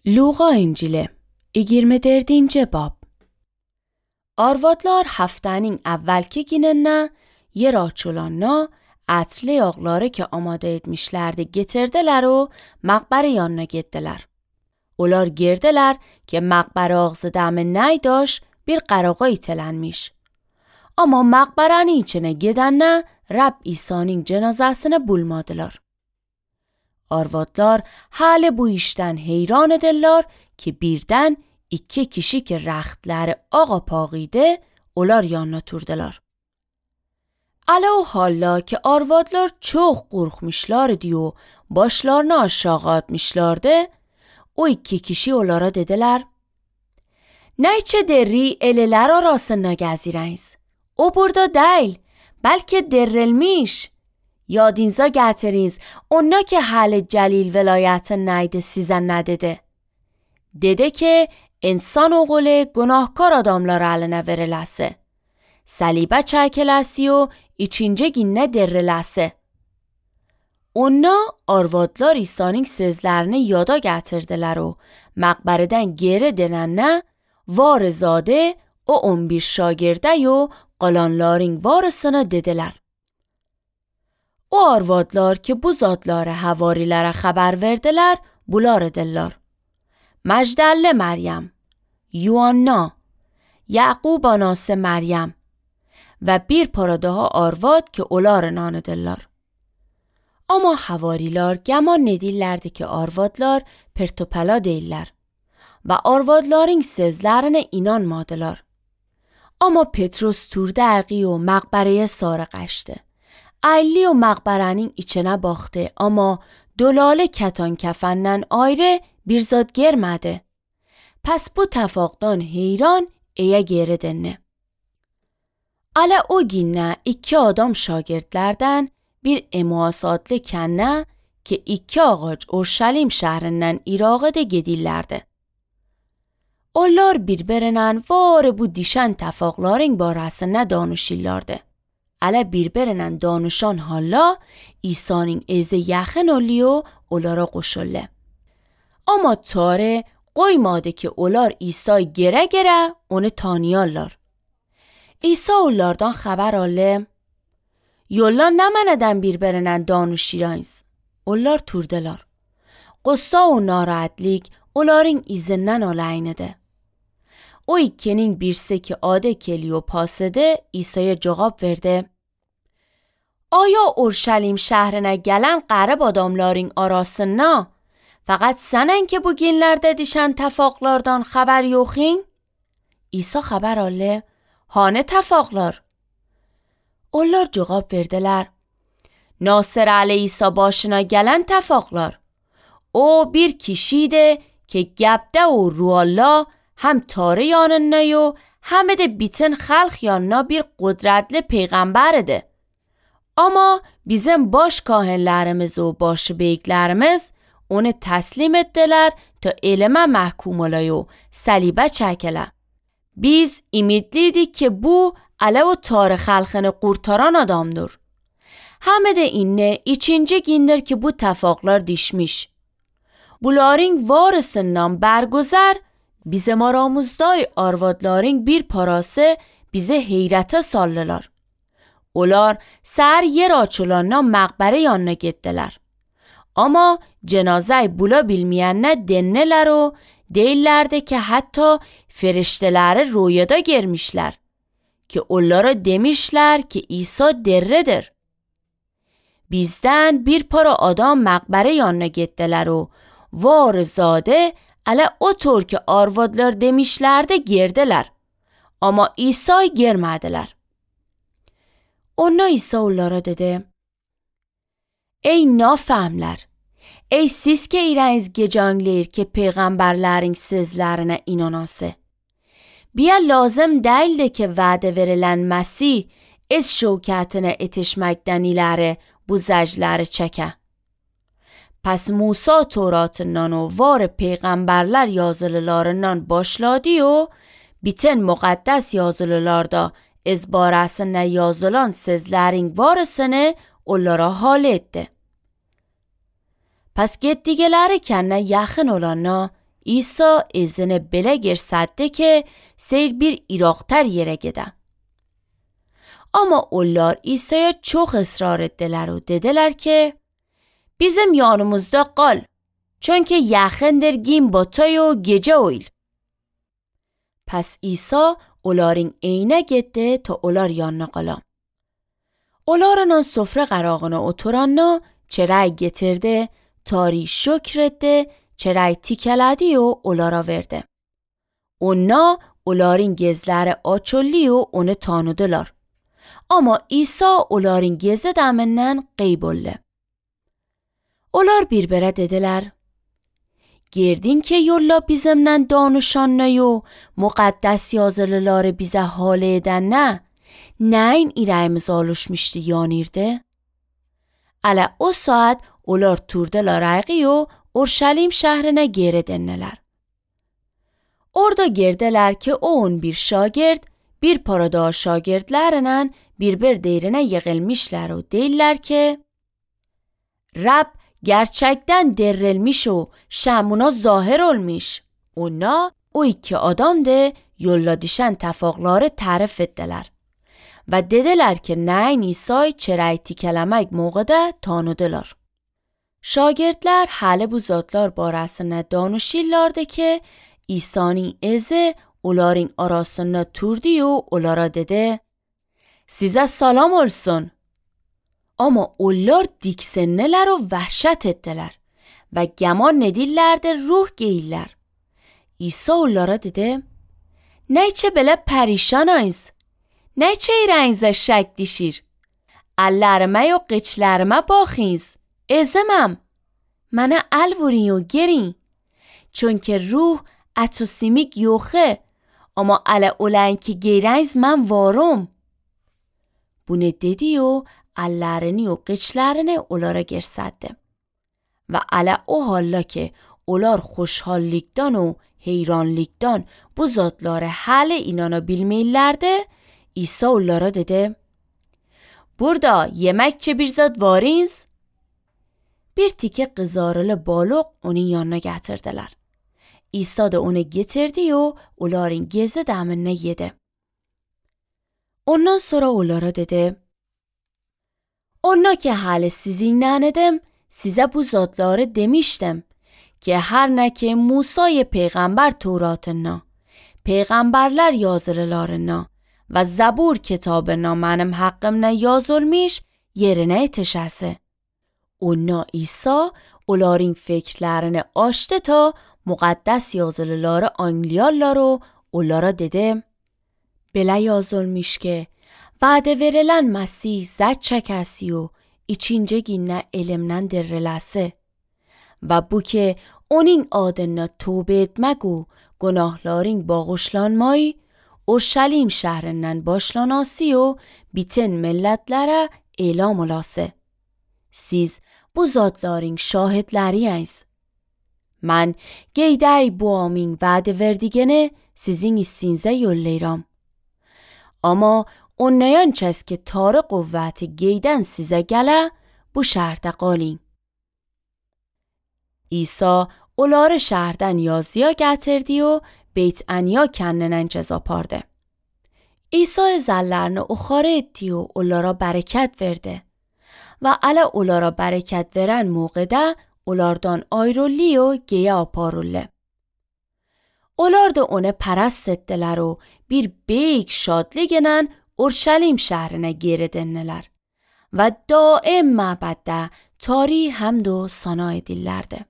Luqa İncili 24. bab. Arvadlar haftanın evvelki gününe yeraçulanna atlı yağları ki amade etmişlerdi getirdiler o maqbare yanına gittiler. Olar girdiler ki maqbare ağzı dami neydaş bir qarağa itelenmiş. Ama maqbaranın içine gidenle Rab İsa'nın cenazasını bulmadılar. Arvadlar hal bu işten heyran edirler ki birden iki kişi ki rəxtləri ağa pağıydı, onlar yanına turdular. Ala o halla ki arvadlar çok qorxmuşlardı o başlarını aşağı atmışlardı, o iki kişi onlara dediler: "Neyçe deri eleler arasına gezireniz? O burada değil, belki derilmiş. Yadınıza getiriniz, ona ki hal Celil velayeti neydi size ne dedi? Dedi ki insan oğlu günahkar adamlar eline verilesi. Salibe çekilesi و ikinci günne dirilesi." Ona arvadlar İsa'nın sözlerini yada getirdiler و maqbareden geri dönene varzaده o 11 şagirde و qalanların varısını dediler. O arvadlar ki bu zatları havarilere haber verdiler, bular edillar: Mecdelle Meryem, Yuanna, Yaqub anası Meryem ve bir para daha arvad ki onların anıdırlar. Ama havariler geman nedirlerdi ki arvadlar pertopela değiller ve arvadların sözlerine inanmadılar. Ama Petrus turdaği و maqbareye sarı qaçtı. Ayli و maqbarenin içine baktı ama dolalı ketan kefenden ayrı bir zat girmedi. Pes bu tefaqdan heyran eye geri dönne. Ala o günne iki adam şagirdlerden bir Emmaus adlı kenne ki iki ağaç Urşalim şehrinden Irak'a da gidirlerdi. Onlar birbirinin var bu dişen tefaqların barasına danışırlardı. Ala birbirinin danışan hala İsa'nın eze yaxın oluyor onlara qoşuldu. Ama tare qoymadı ki onlar İsa gere gere onu tanıyarlar. İsa onlardan xəbər aldı: "Yollar nəmənədən birbirinin danışırınız?" Onlar turdular. Qıssa o narahatlik onların izindən alayınıdı. O ikinin birisi ki adı Kleopas'dı İsa'ya cevap verdi: "Aya Urşalim şehrine gelen qarib adamların arasına faqat sənin ki bu günlerde dişen tefaqlardan xəbər yoxin?" İsa xəbər aldı: "Hanı tefaqlar?" Onlar cevap verdiler: "Nasır aleyhisa başına gelen tefaqlar. O bir kişiydi ki gebde و ruallah hem tari yanına و hem de bütün xalq yanına bir qudretli peygamberdi. Ama bizim baş kahinlerimiz و baş beyiklerimiz onu teslim ettiler ta elime mahkum olay و salibe çekile. Biz ümitliydik ki bu ala و tarih xalqını qurtaran adamdır. همه de اینne ikinci gündür ki bu tefaqlar dişmiş. Bunların varısından bergüzer bizim aramızda arvadların bir parası bize heyrete sallılar. Onlar ser yer açılanına maqbare yanına gittiler. Ama cenaze bulabilmeyenine denneler o değillerdi ki hatta ferişteleri rüyada girmişler. Ki onlara demişler ki İsa diridir. Bizden bir para adam maqbare yanına gittiler o varzaده ala otur ki arvadlar demişlerdi girdiler. Ama İsa'yı girmediler. Ona İsa onlara dedi: "Ey nafahmler! Ey siz ki ireniz gecanglir ki peygamberlerin sözlerine inanası. Bia lazım değildi ki vade verilen Mesih از şevketine etişmekten ileri bu zecleri çeke. Pes Musa Toratından و var peygamberler yazılılarından başladı و bütün mukaddes yazılılarda از barasına yazılan sözlerin varısını onlara hal etti. Pes gittigeleri kendine yakın olana İsa izine bile girsattı ki seyir bir İrak'tar yere gide. Ama onlar İsa'ya çok ısrar ettiler ve dediler ki bizim yanımızda kal. Çünkü yakındır gim batay و gece oyl. Pes İsa onların eyne gitti ta onlar yanına kala. Onların sofra qarağına oturanna çeray getirdi, tari şükr etti, çeray tikəledi و onlara verdi. Onlar onların gezləri açıldı و onu tanıdılar. Ama İsa onların gezi deminden qeyboldu. Onlar birbirine dediler, girdin ki yolla bizimle danışan ne و مقدس yazılıları bize hale eden ne این İrəyimiz alışmıştı yanirdi? Ələ o saat onlar turdular ayqi و Urşalim şehrine geri dönneler. Orada girdiler ki o 11 şagird bir parada şagirdlerinin bir derine yığılmışlar و deyirlər ki Rab gerçekten dirilmiş و şamuna zahir olmuş. Ona o iki adam de yolla düşen tefakları tarif ettiler. Ve dediler ki neyin İsa'yı çeray tikələmək موقعda tanıdılar. Şagirdler halı bu zatlar barasına danışırlardı ki İsa'nın izi onların arasına turdu و onlara dedi size salam olsun. Ama onlar diksinneler و vəhşət ettiler ve gəman edirlərdi ruh geyirlər. İsa onlara dedi neyçe belə perişanayız? Neyçe irəyinizə şək dişir? Əllərimə و qıçlarıma baxınız. Ezemem. Mənə əl vurin و girin. Çünkü ruh ətü simik yoxu. Ama ələ olan ki girəyiz mən varım. Bunu dedi و əllərini و qıçlarını onlara göstərdi. Və ələ o halla ki onlar xoşhallikdən و heyranlikdən bu zatları hələ inana bilməyirlərdi, İsa onlara dedi burada yeməkçe bir zat varınız? Bir tike qızarılı balıq onun yanına gətirdilər. İsa da onu getirdi و onların gezi dəminə yedi. Ondan sonra onlara dedi ona ki halı sizinle edim size bu zatları demiştim ki her ne ki Musa'yı peygamber Tevrat'ına, peygamberler yazılılarına ve Zabur kitabına benim hakkımda yazılmış yerine yetişesi. Ona İsa onların fikirlerini açtı ta muqaddes yazılıları anlayarlar و onlara dedi belə yazılmış ki vədə verilən Məsih zət çəkəsi و içinci günə elimdən diriləsi və bu ki onun adına tövbə etmək و günahların bağışlanmayı Urşalim şəhrindən başlanası و bütün millətlərə elam olası. Siz bu zatların şahidləriyəniz. Mən qeydəy bu amin vədə verdigəni sizin issinizə yollayıram. Ama onlayan çəs ki tarı quvvəti qeydən sizə gələ, bu şəhərdə qalin. İsa onları şəhərdən yazıya gətirdi و Beyt Ənya kəndindən cəz apardı. İsa zəllərini oxarı etdi و onlara bərəkət verdi. Və ələ onlara bərəkət verən موقعdə onlardan ayrıldı و geyə aparıldı. Onlar da onu pərəst etdilər و bir böyük şadlıqla Urşalim şəhrinə geri döndülər və daim məbəddə tari həmd و sana edirlərdi.